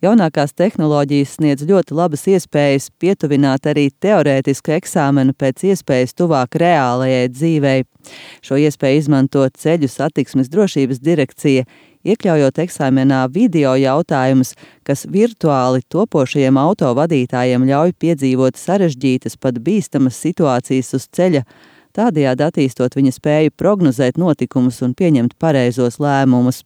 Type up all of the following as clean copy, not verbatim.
Jaunākās tehnoloģijas sniedz ļoti labas iespējas pietuvināt arī teorētisku eksāmenu pēc iespējas tuvāk reālajai dzīvei. Šo iespēju izmanto Ceļu satiksmes drošības direkcija, iekļaujot eksāmenā video jautājumus, kas virtuāli topošajiem autovadītājiem ļauj piedzīvot sarežģītas, pat bīstamas situācijas uz ceļa, tādējādi attīstot viņa spēju prognozēt notikumus un pieņemt pareizos lēmumus.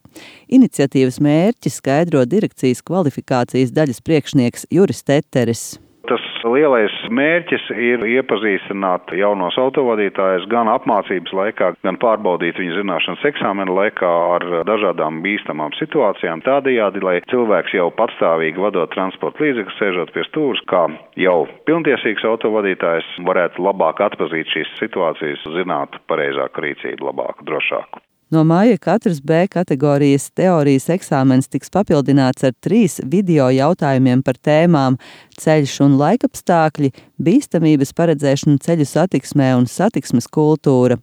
Iniciatīvas mērķi skaidro direkcijas kvalifikācijas daļas priekšnieks Juris Teteris. Tas lielais mērķis ir iepazīstināt jaunos autovadītājus gan apmācības laikā, gan pārbaudīt viņu zināšanas eksāmena laikā ar dažādām bīstamām situācijām. Tādējādi, lai cilvēks jau patstāvīgi vadot transporta līdzekli, sēžot pie stūres, kā jau pilntiesīgs autovadītājs varētu labāk atpazīt šīs situācijas, zināt pareizāku rīcību, labāku, drošāku. No māja katrs B kategorijas teorijas eksāmens tiks papildināts ar 3 video jautājumiem par tēmām ceļš un laikapstākļi, bīstamības paredzēšana ceļu satiksmē un satiksmes kultūra.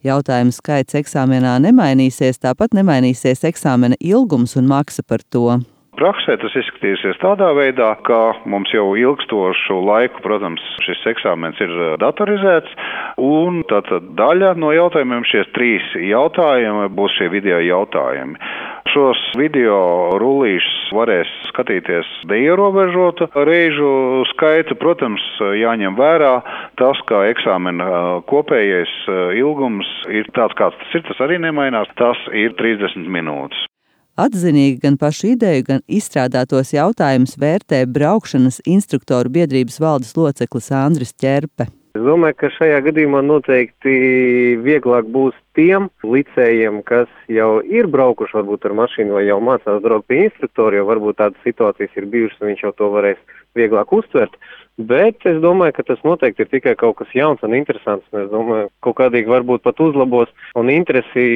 Jautājumu skaits eksāmenā nemainīsies, tāpat nemainīsies eksāmena ilgums un maksa par to. Praksē tas izskatīsies tādā veidā, ka mums jau ilgstošu laiku, protams, šis eksāmens ir datorizēts, un tātad daļa no jautājumiem, šie 3 jautājumi, būs šie video jautājumi. Šos video rullīšus varēs skatīties neierobežotu reižu skaitu. Protams, jāņem vērā tas, ka eksāmena kopējais ilgums ir tāds, kāds tas ir, tas arī nemainās, tas ir 30 minūtes. Atzinīgi gan pašu ideju, gan izstrādātos jautājumus vērtē braukšanas instruktoru biedrības valdes loceklis Andris Ķerpe. Es domāju, ka šajā gadījumā noteikti vieglāk būs tiem licējiem, kas jau ir braukuši varbūt ar mašīnu vai jau mācās braukt pie instruktora, jo varbūt tādas situācijas ir bijušas un viņš jau to varēs vieglāk uztvert. Bet es domāju, ka tas noteikti ir tikai kaut kas jauns un interesants. Es domāju, kaut kādīgi varbūt pat uzlabos un interesi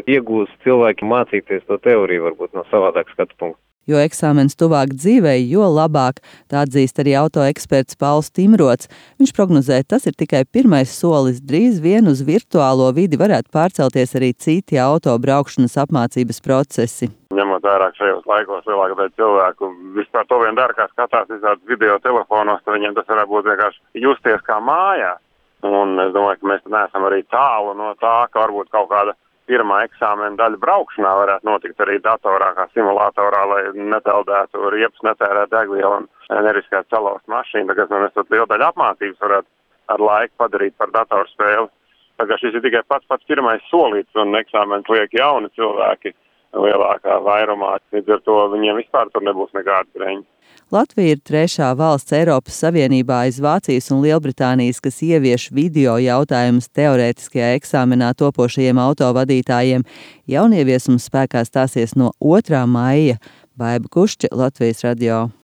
iegūs cilvēki mācīties to teoriju varbūt no savādāk skatu punktu. Jo eksāmens tuvāk dzīvei, jo labāk, tā atzīst arī autoeksperts Pauls Timrots. Viņš prognozē, tas ir tikai pirmais solis, drīz vien uz virtuālo vidi varētu pārcelties arī citi autobraukšanas apmācības procesi. Ņemot vērā šajos laikos lielāka daļa cilvēku vispār to vien dara, kā skatās visādus video telefonos, tad viņiem tas varētu būt vienkārši justies kā mājās. Un es domāju, ka mēs neesam arī tālu no tā, ka varbūt kaut kāda pirmā eksāmena daļa braukšanā varētu notikt arī datorā, kā simulatorā, lai nepeldētu riepas, netērētu degvielu un neriskētu salauzt mašīnu. Tagad mēs tad lielu daļu apmācības varētu ar laiku padarīt par datorspēli. Tagad šis ir tikai pats pirmais solīts un eksāmens liek jauni cilvēki lielākā vairumā. Līdz ar to viņiem vispār tur nebūs nekāda greņa. Latvija ir 3. valsts Eiropas Savienībā aiz Vācijas un Lielbritānijas, kas ievieš video jautājumus teorētiskajā eksāmenā topošajiem autovadītājiem. Jaunieviesums spēkā stāsies no 2. maija. Baiba Kušķa, Latvijas radio.